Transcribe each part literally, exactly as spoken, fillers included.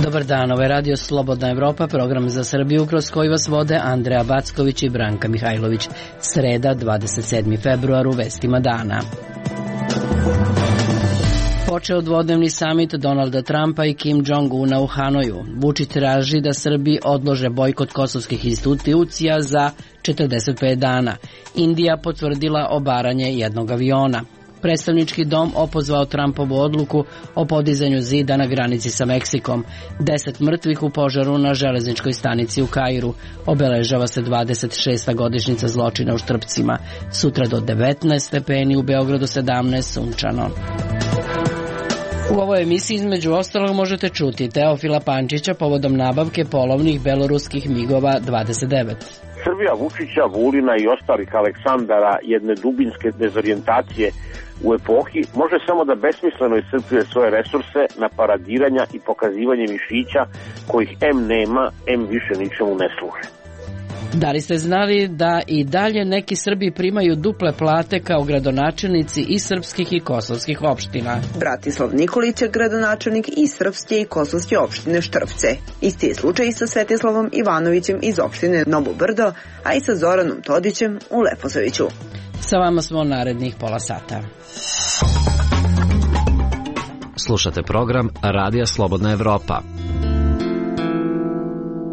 Dobar dan, ovo je Radio Slobodna Evropa, program za Srbiju kroz koji vas vode Andreja Backović i Branka Mihajlović. Sreda, dvadeset sedmi februar, u vestima dana. Počeo dvodnevni samit Donalda Trumpa i Kim Jong-una u Hanoju. Vučić traži da Srbi odlože bojkot kosovskih institucija za četrdeset pet dana. Indija potvrdila obaranje jednog aviona. Predstavnički dom opozvao Trumpovu odluku o podizanju zida na granici sa Meksikom. Deset mrtvih u požaru na železničkoj stanici u Kairu. Obeležava se dvadeset šesta godišnjica zločina u Štrpcima. Sutra do devetnaest stepeni, u Beogradu sedamnaest, sunčano. U ovoj emisiji između ostalog možete čuti Teofila Pančića povodom nabavke polovnih beloruskih migova dvadeset devet. Srbija Vučića, Vulina i ostalih Aleksandara jedne dubinske dezorijentacije u epohi može samo da besmisleno iscrpljuje svoje resurse na paradiranja i pokazivanje mišića kojih em nema, em više ničemu ne služe. Da li ste znali da i dalje neki Srbi primaju duple plate kao gradonačelnici i srpskih i kosovskih opština? Bratislav Nikolić je gradonačelnik i srpske i kosovske opštine Štrpce. Isti je slučaj i sa Svetislavom Ivanovićem iz opštine Novo Brdo, a i sa Zoranom Todićem u Leposaviću. Sa vama smo narednih pola sata. Slušate program Radija Slobodna Evropa.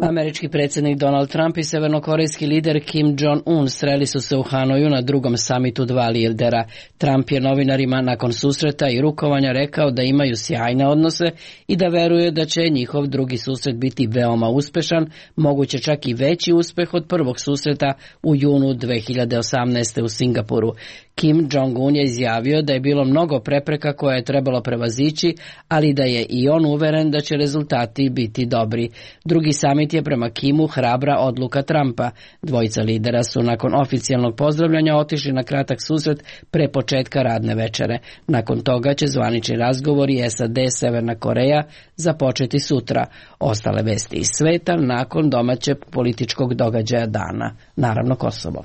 Američki predsjednik Donald Trump i severnokorejski lider Kim Jong-un sreli su se u Hanoju na drugom samitu dva lidera. Trump je novinarima nakon susreta i rukovanja rekao da imaju sjajne odnose i da veruje da će njihov drugi susret biti veoma uspešan, moguće čak i veći uspeh od prvog susreta u junu dve hiljade osamnaeste. u Singapuru. Kim Jong-un je izjavio da je bilo mnogo prepreka koje je trebalo prevazići, ali da je i on uveren da će rezultati biti dobri. Drugi samit je prema Kimu hrabra odluka Trumpa. Dvojica lidera su nakon oficijalnog pozdravljanja otišli na kratak susret pre početka radne večere. Nakon toga će zvanični razgovori es a de Severna Koreja započeti sutra. Ostale vesti iz sveta nakon domaćeg političkog događaja dana, naravno Kosovo.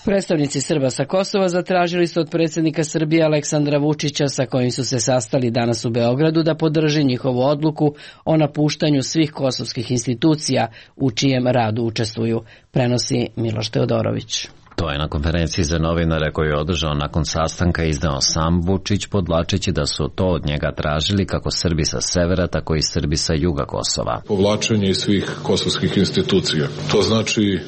Predstavnici Srba sa Kosova zatražili su od predsjednika Srbije Aleksandra Vučića, sa kojim su se sastali danas u Beogradu, da podrži njihovu odluku o napuštanju svih kosovskih institucija u čijem radu učestvuju, prenosi Miloš Teodorović. To je na konferenciji za novinare koju je održao nakon sastanka izneo sam Vučić, podvlačeći da su to od njega tražili kako Srbi sa severa, tako i Srbi sa juga Kosova. Povlačenje iz svih kosovskih institucija. To znači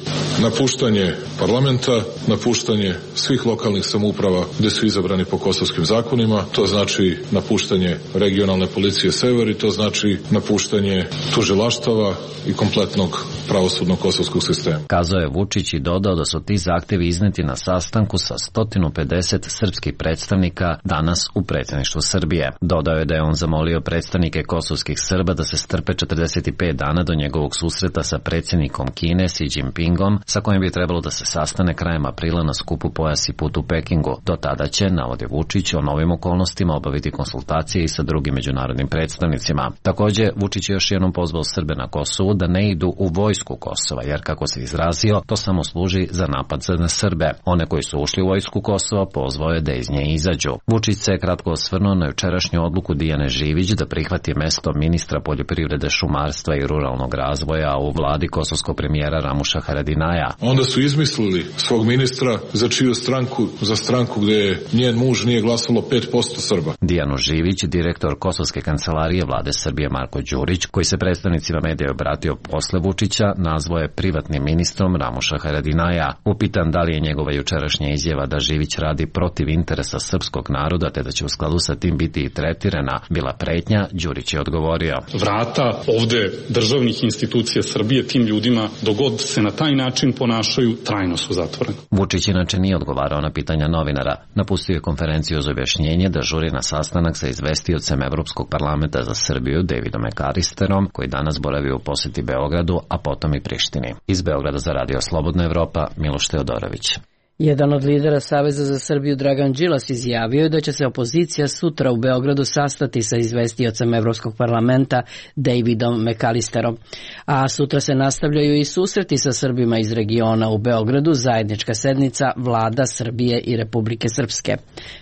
napuštanje parlamenta, napuštanje svih lokalnih samouprava gde su izabrani po kosovskim zakonima, to znači napuštanje regionalne policije sever i to znači napuštanje tužilaštava i kompletnog pravosudnog kosovskog sistema. Kazao je Vučić i dodao da su ti zahtevi izneti na sastanku sa sto pedeset srpskih predstavnika danas u predsjedništvu Srbije. Dodao je da je on zamolio predstavnike kosovskih Srba da se strpe četrdeset pet dana do njegovog susreta sa predsjednikom Kine Xi Jinpingom, sa kojim bi trebalo da se sastane krajem aprila na skupu Pojas i put u Pekingu. Do tada će, navodi Vučić, o novim okolnostima obaviti konsultacije i sa drugim međunarodnim predstavnicima. Također, Vučić je još jednom pozvao Srbe na Kosovu da ne idu u vojsku Kosova, jer kako se izrazio, to samo služi za napad na Srbe. One koji su ušli u vojsku Kosova pozvao je da iz nje izađu. Vučić se je kratko osvrnuo na jučerašnju odluku Dijane Živić da prihvati mesto ministra poljoprivrede, šumarstva i ruralnog razvoja u vladi kosovskog premijera Ramuša Haradinaja. Onda su izmislili svog ministra za čiju stranku, za stranku gde je njen muž nije glasalo pet posto Srba. Dijanu Živić, direktor kosovske kancelarije vlade Srbije Marko Đurić, koji se predstavnicima medija obratio posle Vučića, nazvao je privatnim ministrom Ramuša Haradinaja. Upitan da li je njegova jučerašnja izjava da Živić radi protiv interesa srpskog naroda te da će u skladu sa tim biti i tretirana bila pretnja, Đurić je odgovorio: vrata ovde državnih institucija Srbije tim ljudima, dogod se na taj način ponašaju, trajno su zatvoreni. Vučić inače nije odgovarao na pitanja novinara. Napustio je konferenciju za objašnjenje da žuri na sastanak sa izvestiocem Evropskog parlamenta za Srbiju Davidom Ekaristerom, koji danas boravi u poseti Beogradu, a potom i Prištini. Iz Beograda za Radio Slobodna Evropa, Miloš Teodorović. Jedan od lidera Saveza za Srbiju, Dragan Đilas, izjavio je da će se opozicija sutra u Beogradu sastati sa izvestiocem Evropskog parlamenta Davidom McAllisterom. A sutra se nastavljaju i susreti sa Srbima iz regiona u Beogradu, zajednička sednica vlada Srbije i Republike Srpske.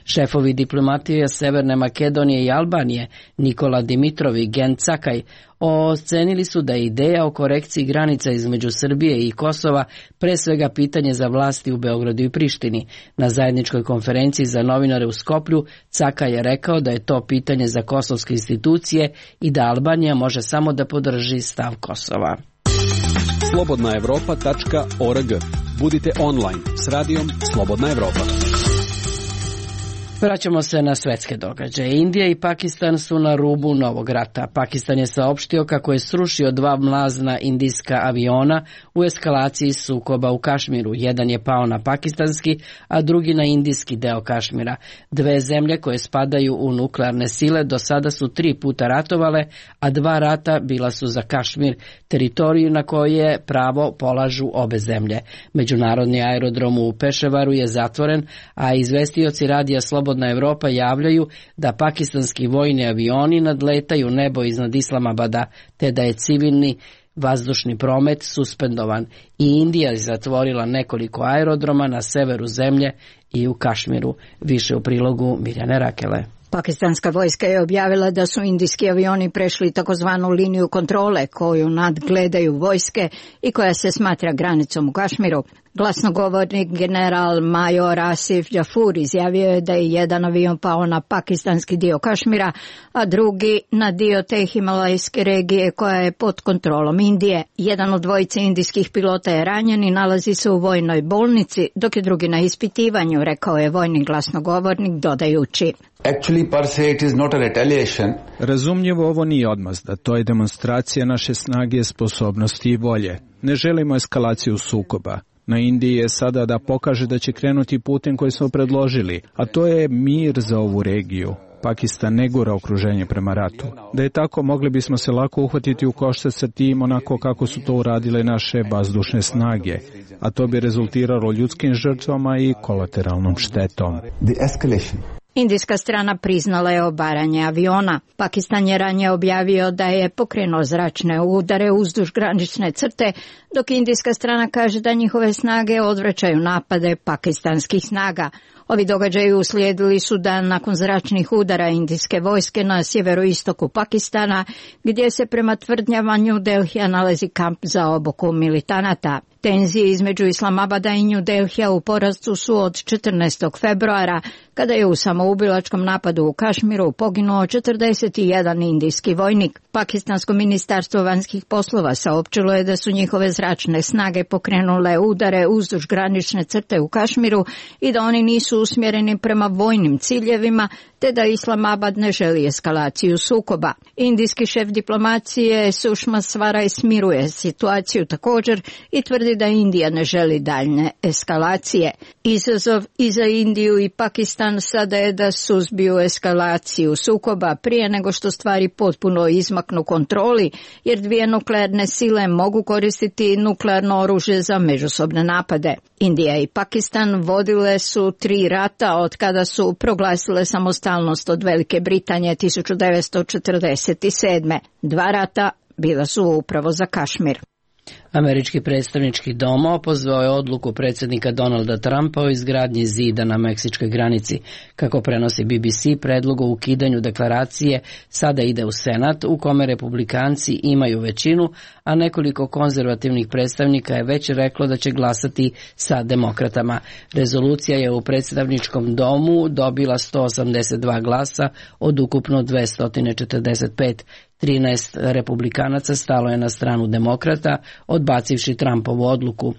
Šefovi diplomatije Severne Makedonije i Albanije, Nikola Dimitrov i Gen Cakaj, ocenili su da je ideja o korekciji granica između Srbije i Kosova pre svega pitanje za vlasti u Beogradu i Prištini. Na zajedničkoj konferenciji za novinare u Skoplju Cakaj je rekao da je to pitanje za kosovske institucije i da Albanija može samo da podrži stav Kosova. slobodna evropa tačka org. Budite online s radijom Slobodna Evropa. Vraćamo se na svetske događaje. Indija i Pakistan su na rubu novog rata. Pakistan je saopštio kako je srušio dva mlazna indijska aviona u eskalaciji sukoba u Kašmiru. Jedan je pao na pakistanski, a drugi na indijski deo Kašmira. Dve zemlje koje spadaju u nuklearne sile do sada su tri puta ratovale, a dva rata bila su za Kašmir, teritoriju na koje pravo polažu obe zemlje. Međunarodni aerodrom u Peševaru je zatvoren, a izvestioci radija Slobodna Slobodna Evropa javljaju da pakistanski vojni avioni nadletaju nebo iznad Islamabada, te da je civilni vazdušni promet suspendovan. I Indija je zatvorila nekoliko aerodroma na severu zemlje i u Kašmiru. Više u prilogu Mirjane Rakele. Pakistanska vojska je objavila da su indijski avioni prešli takozvanu liniju kontrole koju nadgledaju vojske i koja se smatra granicom u Kašmiru. Glasnogovornik general major Asif Jafur izjavio je da je jedan avion pao na pakistanski dio Kašmira, a drugi na dio te himalajske regije koja je pod kontrolom Indije. Jedan od dvojice indijskih pilota je ranjen i nalazi se u vojnoj bolnici, dok je drugi na ispitivanju, rekao je vojni glasnogovornik dodajući. Actually, per se, it is not a retaliation. Razumljivo, ovo nije odmazda, to je demonstracija naše snage, sposobnosti i volje. Ne želimo eskalaciju sukoba. Na Indiji je sada da pokaže da će krenuti putem koji smo predložili, a to je mir za ovu regiju. Pakistan ne gura okruženje prema ratu. Da je tako, mogli bismo se lako uhvatiti u koštac sa tim onako kako su to uradile naše vazdušne snage, a to bi rezultiralo ljudskim žrtvama i kolateralnom štetom. The escalation. Indijska strana priznala je obaranje aviona. Pakistan je ranije objavio da je pokrenuo zračne udare uzduž granične crte, dok indijska strana kaže da njihove snage odvraćaju napade pakistanskih snaga. Ovi događaji uslijedili su dan nakon zračnih udara indijske vojske na sjeveroistoku Pakistana, gdje se prema tvrdnjama New Delhija nalazi kamp za obuku militanata. Tenzije između Islamabada i New Delhija u porastu su od četrnaestog februara, kada je u samoubilačkom napadu u Kašmiru poginuo četrdeset jedan indijski vojnik. Pakistansko ministarstvo vanjskih poslova saopćilo je da su njihove zračne snage pokrenule udare uzduž granične crte u Kašmiru i da oni nisu usmjereni prema vojnim ciljevima, te da Islamabad ne želi eskalaciju sukoba. Indijski šef diplomacije Sušma Svaraj smiruje situaciju također i tvrdi da Indija ne želi daljne eskalacije. Izazov i za Indiju i Pakistan sada je da suzbiju eskalaciju sukoba prije nego što stvari potpuno izmaknu kontroli, jer dvije nuklearne sile mogu koristiti nuklearno oružje za međusobne napade. Indija i Pakistan vodile su tri rata od kada su proglasile samostalnost od Velike Britanije tisuću devetsto četrdeset sedme. Dva rata bila su upravo za Kašmir. Američki predstavnički dom opozvao je odluku predsjednika Donalda Trumpa o izgradnji zida na meksičkoj granici. Kako prenosi B B C, predlog o ukidanju deklaracije sada ide u Senat, u kome republikanci imaju većinu, a nekoliko konzervativnih predstavnika je već reklo da će glasati sa demokratama. Rezolucija je u predstavničkom domu dobila sto osamdeset dva glasa od ukupno dvesta četrdeset pet. trinaest republikanaca stalo je na stranu demokrata, odbacivši Trumpovu odluku.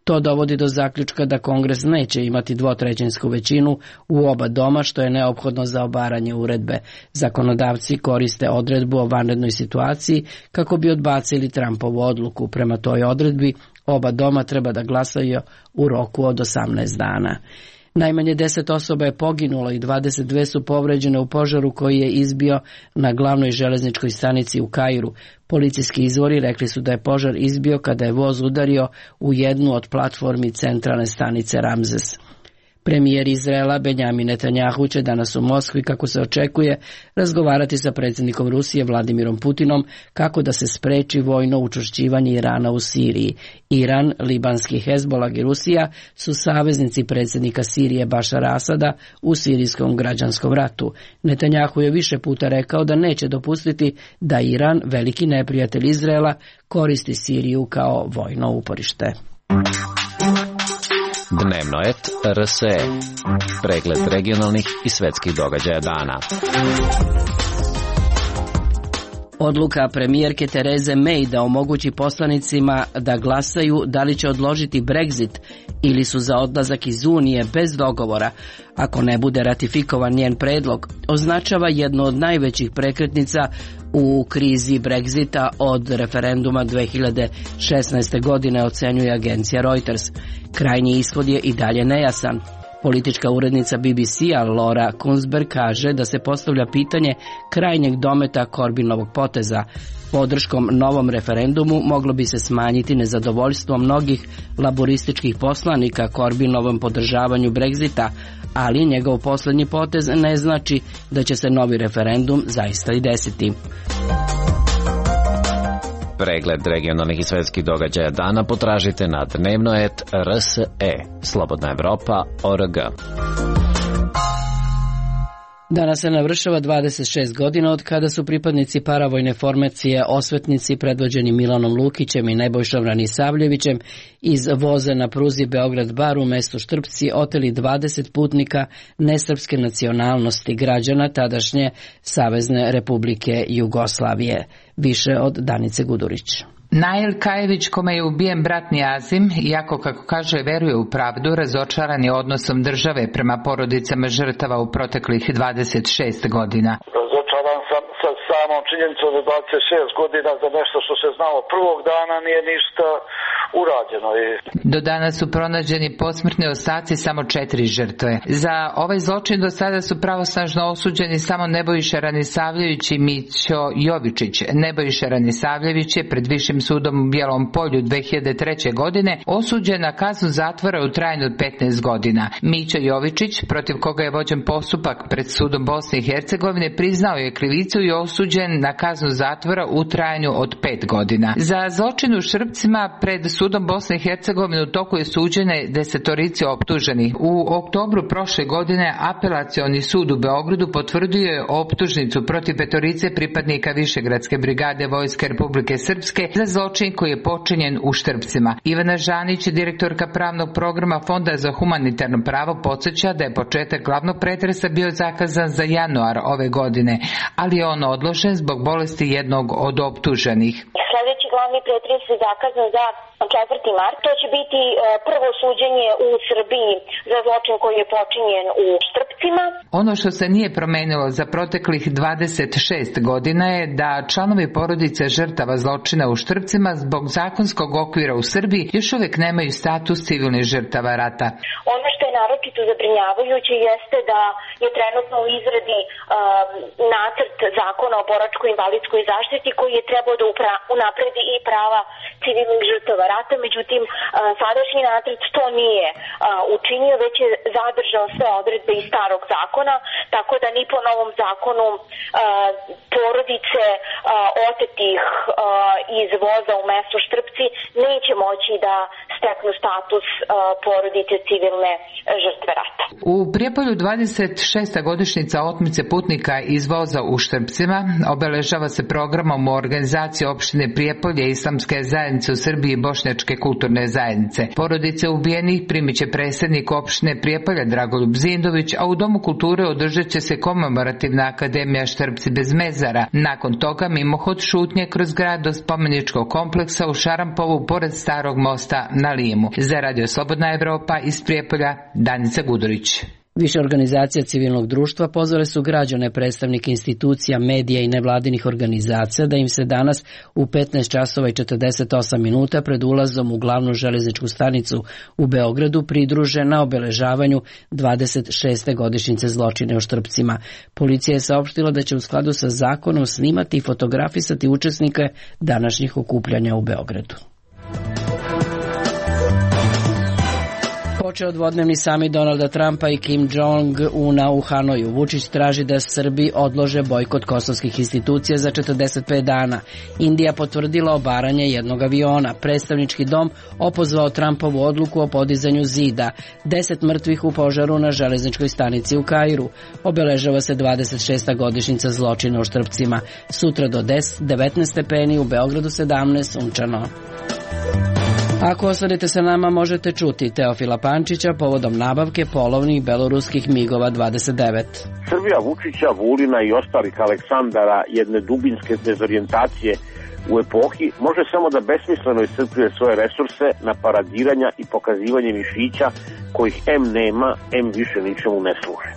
To dovodi do zaključka da Kongres neće imati dvotrećinsku većinu u oba doma, što je neophodno za obaranje uredbe. Zakonodavci koriste odredbu o vanrednoj situaciji kako bi odbacili Trumpovu odluku. Prema toj odredbi oba doma treba da glasaju u roku od osamnaest dana. Najmanje deset osoba je poginulo i dvadeset dve su povređene u požaru koji je izbio na glavnoj železničkoj stanici u Kairu. Policijski izvori rekli su da je požar izbio kada je voz udario u jednu od platformi centralne stanice Ramzes. Premijer Izraela Benjamin Netanjahu će danas u Moskvi, kako se očekuje, razgovarati sa predsjednikom Rusije Vladimirom Putinom kako da se spreči vojno učvršćivanje Irana u Siriji. Iran, libanski Hezbolah i Rusija su saveznici predsjednika Sirije Bašara Asada u sirijskom građanskom ratu. Netanjahu je više puta rekao da neće dopustiti da Iran, veliki neprijatelj Izraela, koristi Siriju kao vojno uporište. Dnevno et R S E. Pregled regionalnih i svetskih događaja dana. Odluka premijerke Tereze May da omogući poslanicima da glasaju da li će odložiti Brexit ili su za odlazak iz Unije bez dogovora, ako ne bude ratifikovan njen predlog, označava jednu od najvećih prekretnica u krizi Brexita od referenduma dve hiljade šesnaeste. godine, ocenjuje agencija Reuters. Krajnji ishod je i dalje nejasan. Politička urednica B B C-a Laura Kunsberg kaže da se postavlja pitanje krajnjeg dometa Corbynovog poteza. Podrškom novom referendumu moglo bi se smanjiti nezadovoljstvo mnogih laborističkih poslanika Corbynovom podržavanju Brexita, ali njegov posljednji potez ne znači da će se novi referendum zaista i desiti. Pregled regionalnih i svetskih događaja dana potražite na dnevno et R S E. Slobodna Evropa O R G. Danas se navršava dvadeset šest godina od kada su pripadnici paravojne formacije Osvetnici predvođeni Milanom Lukićem i Nebojšom Ranisavljevićem iz voza na pruzi Beograd-Bar u mestu Štrpci oteli dvadeset putnika nesrpske nacionalnosti, građana tadašnje Savezne Republike Jugoslavije. Više od Danice Gudurić. Nail Kajević, kome je ubijen brat Nijazim, iako, kako kaže, veruje u pravdu, razočaran je odnosom države prema porodicama žrtava u proteklih dvadeset šest godina. Razočaran sam sa samom činjenicom da dvadeset šest godina za nešto što se znalo prvog dana nije ništa urađeno. Do danas su pronađeni posmrtni ostaci samo četiri žrtve. Za ovaj zločin do sada su pravosnažno osuđeni samo Nebojša Ranisavljević i Mićo Jovičić. Nebojša Ranisavljević je pred Višim sudom u Bijelom Polju dve hiljade treće. godine osuđen na kaznu zatvora u trajanju od petnaest godina. Mićo Jovičić, protiv koga je vođen postupak pred sudom Bosne i Hercegovine, priznao je krivicu i osuđen na kaznu zatvora u trajanju od pet godina. Za zločin u Štrpcima pred sudom Bosne i Hercegovine u toku je suđene desetorici optuženih. U oktobru prošle godine Apelacioni sud u Beogradu potvrdio je optužnicu protiv petorice pripadnika Višegradske brigade Vojske Republike Srpske za zločin koji je počinjen u Štrpcima. Ivana Žanić, direktorka pravnog programa Fonda za humanitarno pravo, podsjeća da je početak glavnog pretresa bio zakazan za januar ove godine, ali je on odložen zbog bolesti jednog od optuženih. Sljedeći glavni pretres je zakazan za četvrti mart. To će biti prvo suđenje u Srbiji za zločin koji je počinjen u Štrpcima. Ono što se nije promenilo za proteklih dvadeset šest godina je da članovi porodice žrtava zločina u Štrpcima zbog zakonskog okvira u Srbiji još uvijek nemaju status civilnih žrtava rata. Ono što je naročito zabrinjavajuće jeste da je trenutno u izradi um, nacrt zakona o boračko-invalidskoj zaštiti koji je trebao da unapredi i prava civilnih žrtava rata, međutim sadašnji nacrt to nije učinio, već je zadržao sve odredbe iz starog zakona, tako da ni po novom zakonu porodice otetih iz voza u mestu Štrpci neće moći da steknu status porodice civilne žrtve rata. U Prijepolju dvadeset šesta godišnjica otmice putnika iz voza u Štrpcima obeležava se programom u organizaciji opštine Prijepolje, Islamske zajednice u Srbiji i Bošnjačke kulturne zajednice. Porodice ubijenih primit će predsjednik opštine Prijepolja Dragoljub Zindović, a u Domu kulture održat će se komemorativna akademija Štrpci bez mezara. Nakon toga mimohod šutnje kroz grad do spomeničkog kompleksa u Šarampovu pored starog mosta na Limu. Za Radio Slobodna Evropa iz Prijepolja, Danica Gudurić. Više organizacija civilnog društva pozvale su građane, predstavnike institucija, medija i nevladinih organizacija da im se danas u petnaest časova i četrdeset osam minuta pred ulazom u glavnu železničku stanicu u Beogradu pridruže na obeležavanju dvadeset šeste godišnjice zločina u Štrpcima. Policija je saopštila da će u skladu sa zakonom snimati i fotografisati učesnike današnjih okupljanja u Beogradu. Počeo dvodnevni samit Donalda Trumpa i Kim Jong-una u Hanoju. Vučić traži da Srbi odlože bojkot kosovskih institucija za četrdeset pet dana. Indija potvrdila obaranje jednog aviona. Predstavnički dom opozvao Trumpovu odluku o podizanju zida. Deset mrtvih u požaru na železničkoj stanici u Kairu. Obeležava se dvadeset šesta godišnjica zločina u Štrpcima. Sutra do devetnaest stepeni, u Beogradu sedamnaest, sunčano. Ako ostanete sa nama, možete čuti Teofila Pančića povodom nabavke polovnih beloruskih migova dvadeset devet. Srbija Vučića, Vulina i ostalih Aleksandara jedne dubinske dezorijentacije u epohi može samo da besmisleno iscrpljuje svoje resurse na paradiranja i pokazivanje mišića kojih em nema, em više ničemu ne služe.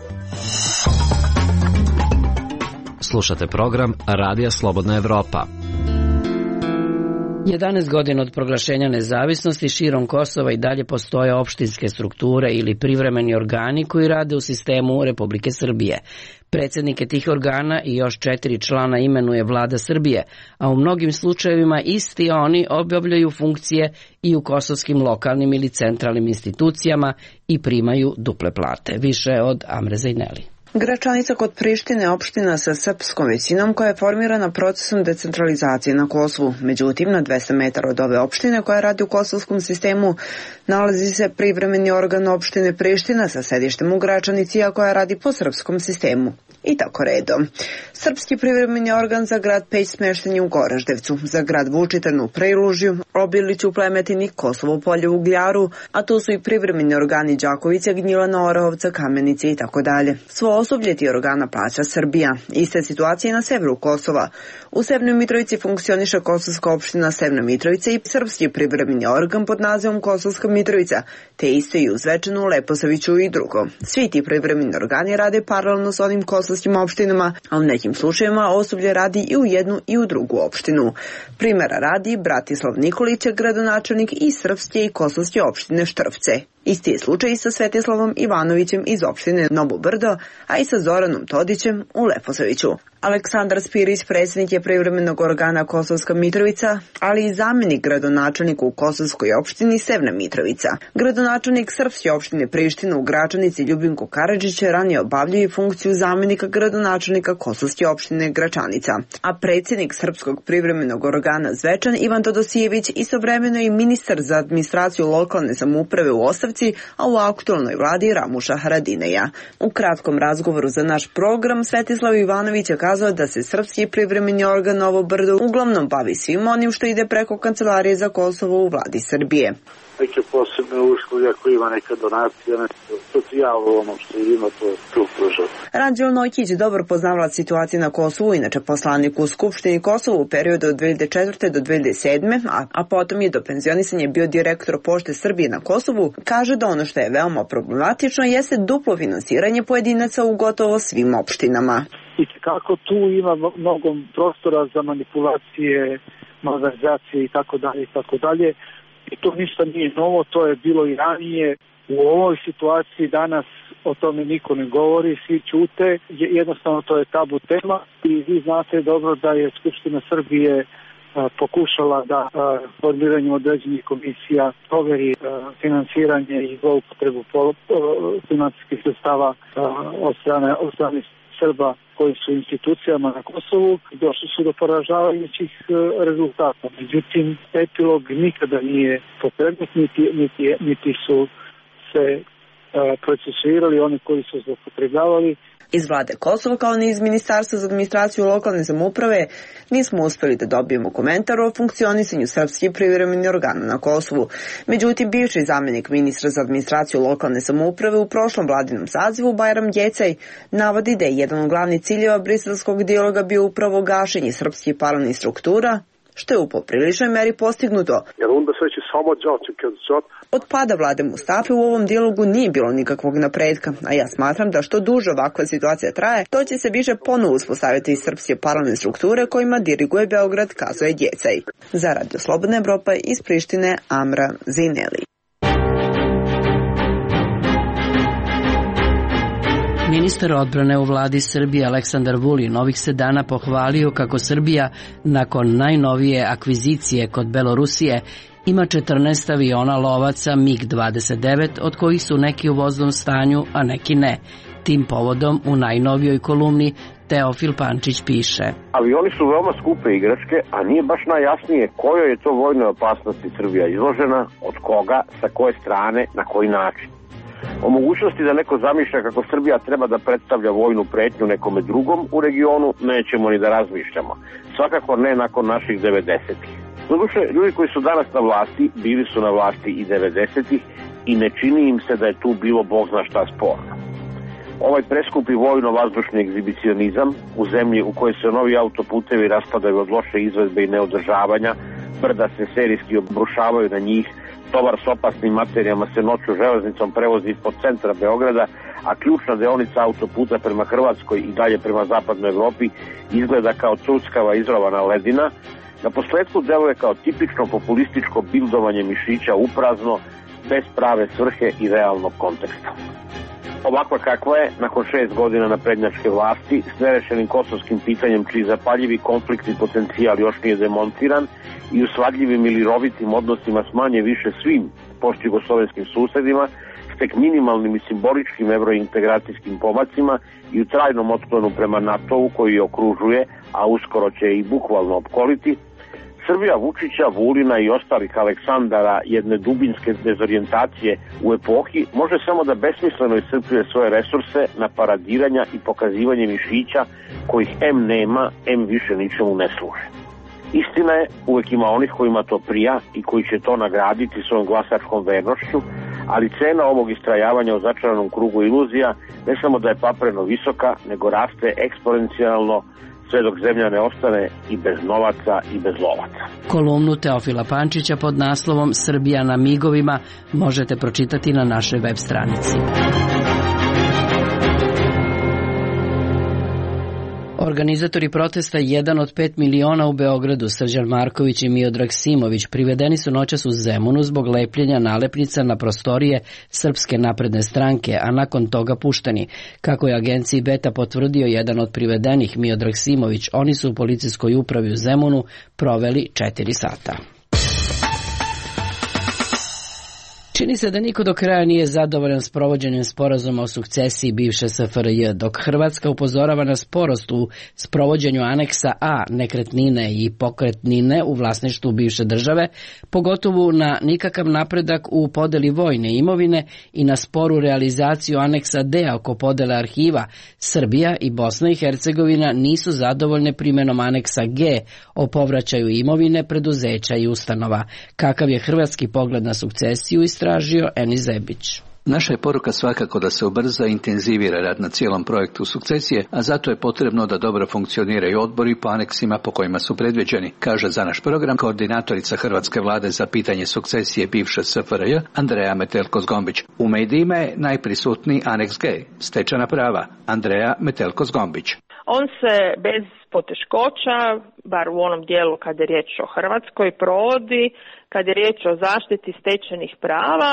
Slušate program Radija Slobodna Evropa. jedanaest godina od proglašenja nezavisnosti širom Kosova i dalje postoje opštinske strukture ili privremeni organi koji rade u sistemu Republike Srbije. Predsjednike tih organa i još četiri člana imenuje vlada Srbije, a u mnogim slučajevima isti oni obavljaju funkcije i u kosovskim lokalnim ili centralnim institucijama i primaju duple plate. Više od Amre Zajneli. Gračanica kod Prištine opština sa srpskom većinom koja je formirana procesom decentralizacije na Kosovu. Međutim, na dvesta metara od ove opštine koja radi u kosovskom sistemu nalazi se privremeni organ opštine Priština sa sedištem u Gračanici, a koja radi po srpskom sistemu. I tako redom. Srpski privremeni organ za grad Peć smešten je u Goraždevcu, za grad Vučitan u Prelužju, Obiliću, Plemetini, Kosovo Polje u Gljaru, a tu su i privremeni organi Đakovića, Gnjilana, Orahovca, Kamenice i tako dalje. Svo osoblje ti organa plaća Srbija. Iste situacije na severu Kosova. U Severnoj Mitrovici funkcioniše Kosovska opština Severna Mitrovica i srpski privremeni organ pod nazivom Kosovska Mitrovica, te isto i u Zvečanu, Leposaviću i drugo. Svi ti privremeni organi rade paralelno s onim kosovskim opštinama, a u nekim slučajevima osoblje radi i u jednu i u drugu opštinu. Primjera radi Bratislav Nikolić, gradonačelnik i srpske i kosovske opštine Štrpce. Isti je slučaj i sa Svetislavom Ivanovićem iz opštine Novo Brdo, a i sa Zoranom Todićem u Leposaviću. Aleksandar Spirić, predsjednik je privremenog organa Kosovska Mitrovica, ali i zamjenik gradonačelnika u Kosovskoj opštini Severna Mitrovica. Gradonačelnik srpske opštine Priština u Gračanici Ljubinko Karadžić ranije obavljao i funkciju zamjenika gradonačelnika Kosovske opštine Gračanica, a predsjednik srpskog privremenog organa Zvečan Ivan Todosijević istovremeno i ministar za administraciju lokalne samouprave u ostavci, a u aktualnoj vladi Ramuša Haradineja. U kratkom razgovoru za naš program Svetislav Ivanović je kazao da se srpski privremeni organ Novo Brdo uglavnom bavi svim onim što ide preko Kancelarije za Kosovo u vladi Srbije. Neke posebne usluge, ako ima neka donacija, socijalo, ono što ima, to tu pruža. Ranđel Nojkić, dobar poznavalac situacije na Kosovu, inače poslanik u Skupštini Kosova u periodu od dve hiljade četvrte do dve hiljade sedme, a, a potom je do penzionisanja bio direktor Pošte Srbije na Kosovu, kaže da ono što je veoma problematično jeste duplo finansiranje pojedinaca u gotovo svim opštinama. I kako tu ima mnogo prostora za manipulacije, malverzacije i tako dalje i tako dalje. I to ništa nije novo, to je bilo i ranije. U ovoj situaciji danas o tome niko ne govori, svi ćute, jednostavno to je tabu tema i vi znate dobro da je Skupština Srbije a, pokušala da a, formiranjem određenih komisija proveri a, finansiranje i zloupotrebu finansijskih sredstava a, od strane, od strane Srba koji su institucijama na Kosovu, došli su do poražavajućih rezultata. Međutim, epilog nikada nije pokrenut, niti, niti, niti su se uh, procesuirali oni koji su zloupotrebljavali. Iz vlade Kosova kao ni iz Ministarstva za administraciju lokalne samouprave nismo uspeli da dobijemo komentar o funkcionisanju srpskih privremenih organa na Kosovu. Međutim, bivši zamjenik ministra za administraciju lokalne samouprave u prošlom vladinom sazivu Bajram Gjecaj navodi da je jedan od glavnih ciljeva briselskog dijaloga bio upravo gašenje srpskih paralelnih struktura, što je u popriličnoj meri postignuto. Od pada vlade Mustafe u ovom dijalogu nije bilo nikakvog napretka, a ja smatram da što duže ovakva situacija traje, to će se više ponovo uspostaviti iz srpske parlamentne strukture kojima diriguje Beograd, kazuje Djecaj. Za Radio Slobodna Evropa iz Prištine, Amra Zineli. Ministar odbrane u vladi Srbije Aleksandar Vulin ovih se dana pohvalio kako Srbija nakon najnovije akvizicije kod Belorusije ima četrnaest aviona lovaca mig dvadeset devet, od kojih su neki u voznom stanju, a neki ne. Tim povodom u najnovijoj kolumni Teofil Pančić piše: Avioni su veoma skupe igračke, a nije baš najjasnije kojoj je to vojnoj opasnosti Srbija izložena, od koga, sa koje strane, na koji način. O mogućnosti da neko zamišlja kako Srbija treba da predstavlja vojnu pretnju nekome drugom u regionu nećemo ni da razmišljamo. Svakako ne nakon naših devedesetih. Doduše, ljudi koji su danas na vlasti, bili su na vlasti i devedesetih i ne čini im se da je tu bilo bog zna šta sporno. Ovaj preskupi vojno-vazdušni egzibicionizam u zemlji u kojoj se novi autoputevi raspadaju od loše izvedbe i neodržavanja, brda se serijski obrušavaju na njih, tovar s opasnim materijama se noću železnicom prevozi ispod centra Beograda, a ključna deonica autoputa prema Hrvatskoj i dalje prema zapadnoj Evropi izgleda kao cuckava izrovana ledina, na posledku deluje kao tipično populističko bildovanje mišića uprazno, bez prave svrhe i realnog konteksta. Ovakva kakva je, nakon šest godina naprednjačke vlasti, s nerešenim kosovskim pitanjem čiji zapaljivi konfliktni potencijal još nije demontiran i u svadljivim ili rovitim odnosima s manje više svim postjugoslovenskim susedima, s tek minimalnim i simboličkim evrointegracijskim pomacima i u trajnom otklonu prema NATO-u koji je okružuje, a uskoro će i bukvalno opkoliti, Srbija Vučića, Vulina i ostalih Aleksandara jedne dubinske dezorijentacije u epohi može samo da besmisleno iscrpljuje svoje resurse na paradiranja i pokazivanje mišića kojih em nema, em više ničemu ne služe. Istina je, uvek ima onih kojima to prija i koji će to nagraditi svojom glasačkom vernošću, ali cena ovog istrajavanja u začaranom krugu iluzija ne samo da je papreno visoka, nego raste eksponencijalno sve dok zemlja ne ostane i bez novaca i bez lovaca. Kolumnu Teofila Pančića pod naslovom Srbija na migovima možete pročitati na našoj web stranici. Organizatori protesta Jedan od pet miliona u Beogradu, Srđan Marković i Miodrag Simović, privedeni su noćas u Zemunu zbog lepljenja nalepnica na prostorije Srpske napredne stranke, a nakon toga pušteni. Kako je agenciji Beta potvrdio jedan od privedenih, Miodrag Simović, oni su u policijskoj upravi u Zemunu proveli četiri sata. Čini se da niko do kraja nije zadovoljan s provođenjem sporazuma o sukcesiji bivše S F R J, dok Hrvatska upozorava na sporost u sprovođenju aneksa A nekretnine i pokretnine u vlasništvu bivše države, pogotovo na nikakav napredak u podeli vojne imovine i na sporu realizaciju aneksa D oko podele arhiva, Srbija i Bosna i Hercegovina nisu zadovoljne primenom aneksa G o povraćaju imovine, preduzeća i ustanova. Kakav je hrvatski pogled na sukcesiju i tražio Eni Zebić. Naša je poruka svakako da se ubrza i intenzivira rad na cijelom projektu sukcesije, a zato je potrebno da dobro funkcioniraju odbori po aneksima po kojima su predviđeni, kaže za naš program koordinatorica Hrvatske vlade za pitanje sukcesije bivše S F R J, Andreja Metelko-Zgombić. U medijima je najprisutniji aneks G, stečena prava, Andreja Metelko-Zgombić. On se bez poteškoća, bar u onom dijelu kad je riječ o Hrvatskoj, provodi kad je riječ o zaštiti stečenih prava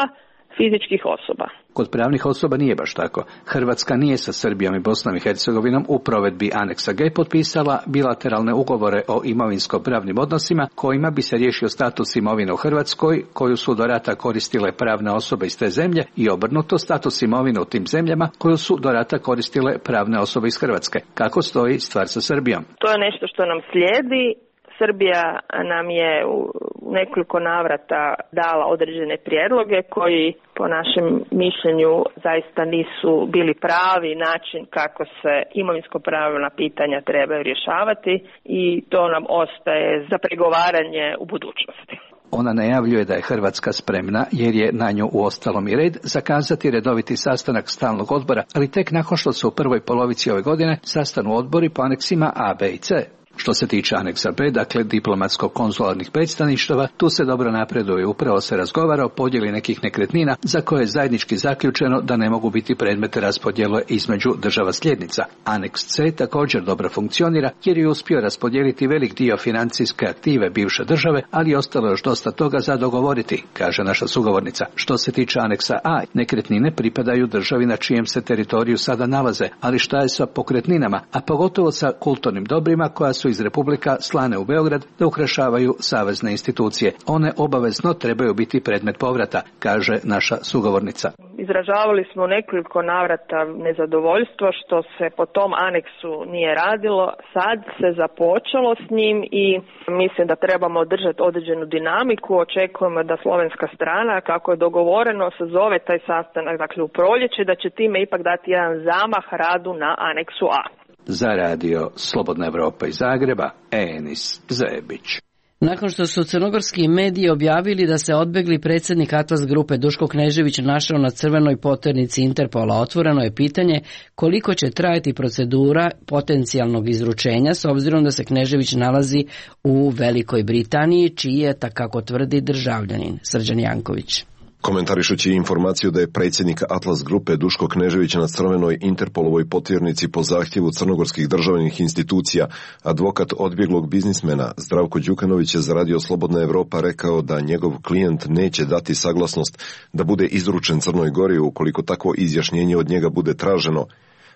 fizičkih osoba. Kod pravnih osoba nije baš tako. Hrvatska nije sa Srbijom i Bosnom i Hercegovinom u provedbi aneksa G potpisala bilateralne ugovore o imovinsko-pravnim odnosima kojima bi se riješio status imovine u Hrvatskoj koju su do rata koristile pravne osobe iz te zemlje i obrnuto status imovine u tim zemljama koju su do rata koristile pravne osobe iz Hrvatske. Kako stoji stvar sa Srbijom? To je nešto što nam slijedi. Srbija nam je u nekoliko navrata dala određene prijedloge koji po našem mišljenju zaista nisu bili pravi način kako se imovinsko-pravna pitanja trebaju rješavati i to nam ostaje za pregovaranje u budućnosti. Ona najavljuje da je Hrvatska spremna, jer je na nju uostalom i red, zakazati redoviti sastanak stalnog odbora, ali tek nakon što se u prvoj polovici ove godine sastanu odbori po aneksima A, B i C. Što se tiče aneksa B, dakle diplomatsko-konzularnih predstavništava, tu se dobro napreduje. Upravo se razgovara o podjeli nekih nekretnina za koje je zajednički zaključeno da ne mogu biti predmet raspodjele između država sljednica. Aneks C također dobro funkcionira jer je uspio raspodijeliti velik dio financijske aktive bivše države, ali ostalo još dosta toga za dogovoriti, kaže naša sugovornica. Što se tiče aneksa A, nekretnine pripadaju državi na čijem se teritoriju sada nalaze, ali šta je sa pokretninama, a pogotovo sa kulturnim dobrima koja su iz republika slane u Beograd da ukrašavaju savezne institucije. One obavezno trebaju biti predmet povrata, kaže naša sugovornica. Izražavali smo nekoliko navrata nezadovoljstvo što se po tom aneksu nije radilo. Sad se započelo s njim i mislim da trebamo održati određenu dinamiku. Očekujemo da slovenska strana, kako je dogovoreno, sazove taj sastanak, dakle u proljeće, da će time ipak dati jedan zamah radu na aneksu A. Za radio Slobodna Evropa iz Zagreba, Enis Zebić. Nakon što su crnogorski mediji objavili da se odbegli predsjednik Atlas grupe Duško Knežević našao na crvenoj poternici Interpola, otvoreno je pitanje koliko će trajati procedura potencijalnog izručenja s obzirom da se Knežević nalazi u Velikoj Britaniji, čiji je, kako tvrdi, državljanin. Srđan Janković. Komentarišući informaciju da je predsjednik Atlas grupe Duško Knežević na crvenoj Interpolovoj potjernici po zahtjevu crnogorskih državnih institucija, advokat odbjeglog biznismena Zdravko Đukanović je za radio Slobodna Evropa rekao da njegov klijent neće dati saglasnost da bude izručen Crnoj Gori ukoliko takvo izjašnjenje od njega bude traženo.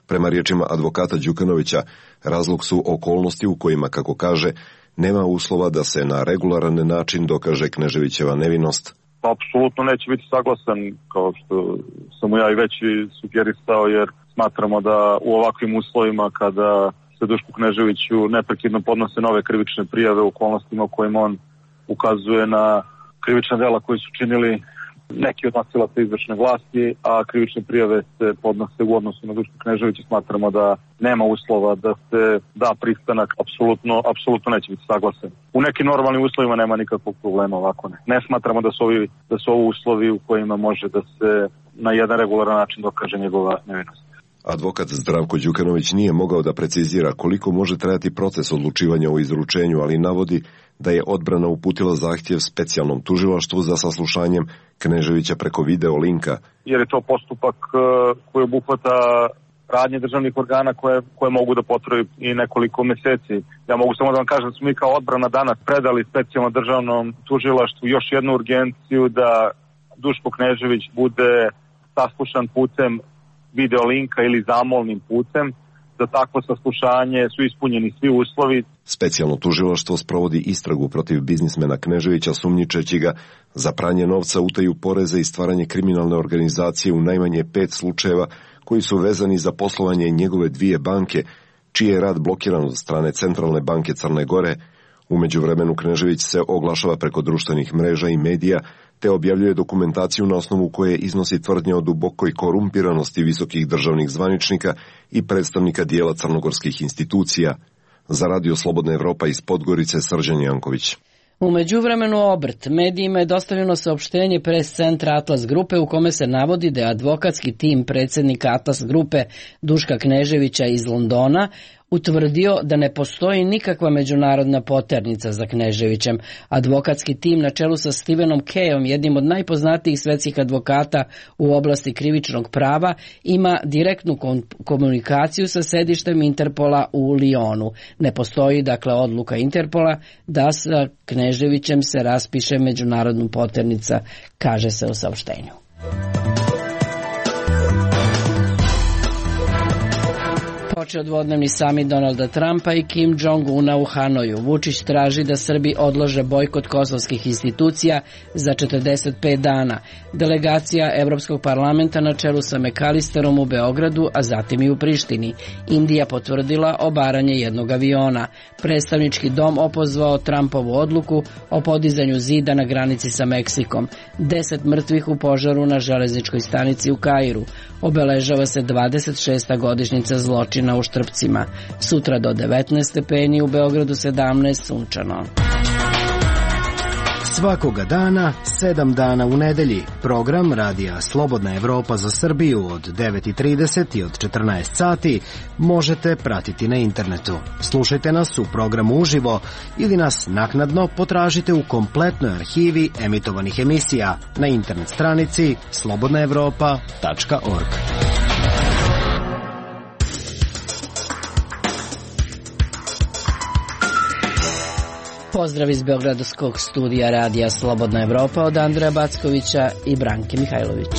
Prema riječima advokata Đukanovića, razlog su okolnosti u kojima, kako kaže, nema uslova da se na regularan način dokaže Kneževićeva nevinost. Apsolutno neće biti saglasan, kao što sam mu ja i već sugeristao, jer smatramo da u ovakvim uslovima kada se Dušku Kneževiću neprekidno podnose nove krivične prijave u okolnostima u kojima on ukazuje na krivična dela koji su činili neki od nosilaca izvršne vlasti, a krivične prijave se podnose u odnosu na Dušku Kneževića, smatramo da nema uslova da se da pristanak, apsolutno, apsolutno neće biti saglasan. U nekim normalnim uslovima nema nikakvog problema, ovako ne. Ne smatramo da su ovi, da su ovo uslovi u kojima može da se na jedan regularan način dokaže njegova nevinost. Advokat Zdravko Đukanović nije mogao da precizira koliko može trajati proces odlučivanja o izručenju, ali navodi da je odbrana uputila zahtjev specijalnom tužilaštvu za saslušanjem Kneževića preko video linka. Jer je to postupak koji obuhvata radnje državnih organa koje, koje mogu da potraju i nekoliko meseci. Ja mogu samo da vam kažem da smo mi kao odbrana danas predali specijalno državnom tužilaštvu još jednu urgenciju da Duško Knežević bude saslušan putem video linka ili zamolnim putem. Za takvo saslušanje su ispunjeni svi uslovi. Specijalno tužilaštvo sprovodi istragu protiv biznismena Kneževića sumnjičeći ga za pranje novca, utaju poreza i stvaranje kriminalne organizacije u najmanje pet slučajeva koji su vezani za poslovanje njegove dvije banke, čiji je rad blokiran od strane Centralne banke Crne Gore. U međuvremenu Knežević se oglašava preko društvenih mreža i medija, te objavljuje dokumentaciju na osnovu koje iznosi tvrdnje o dubokoj korumpiranosti visokih državnih zvaničnika i predstavnika dijela crnogorskih institucija. Za radio Slobodna Evropa iz Podgorice, Srđan Janković. U međuvremenu Obrt medijima je dostavljeno saopštenje pres centra Atlas grupe u kome se navodi da je advokatski tim predsjednika Atlas grupe Duška Kneževića iz Londona utvrdio da ne postoji nikakva međunarodna poternica za Kneževićem. Advokatski tim na čelu sa Stevenom Kayom, jednim od najpoznatijih svetskih advokata u oblasti krivičnog prava, ima direktnu komunikaciju sa sedištem Interpola u Lionu. Ne postoji dakle odluka Interpola da sa Kneževićem se raspiše međunarodna poternica, kaže se u saopštenju. Počeo dvodnevni samit Donalda Trumpa i Kim Jong-una u Hanoju. Vučić traži da Srbi odlože bojkot kosovskih institucija za četrdeset pet dana. Delegacija Evropskog parlamenta na čelu sa Mekalisterom u Beogradu, a zatim i u Prištini. Indija potvrdila obaranje jednog aviona. Predstavnički dom opozvao Trumpovu odluku o podizanju zida na granici sa Meksikom. Deset mrtvih u požaru na železničkoj stanici u Kairu. Obeležava se dvadeset šesta godišnjica zločina u Štrpcima. Sutra do devetnaest stepeni, u Beogradu sedamnaest, sunčano. Svakoga dana, sedam dana u nedelji, program Radija Slobodna Evropa za Srbiju od devet i trideset i od četrnaest sati možete pratiti na internetu. Slušajte nas u programu uživo ili nas naknadno potražite u kompletnoj arhivi emitovanih emisija na internet stranici slobodna evropa tačka org. Pozdrav iz Beogradskog studija Radija Slobodna Evropa od Andreja Backovića i Branke Mihajlović.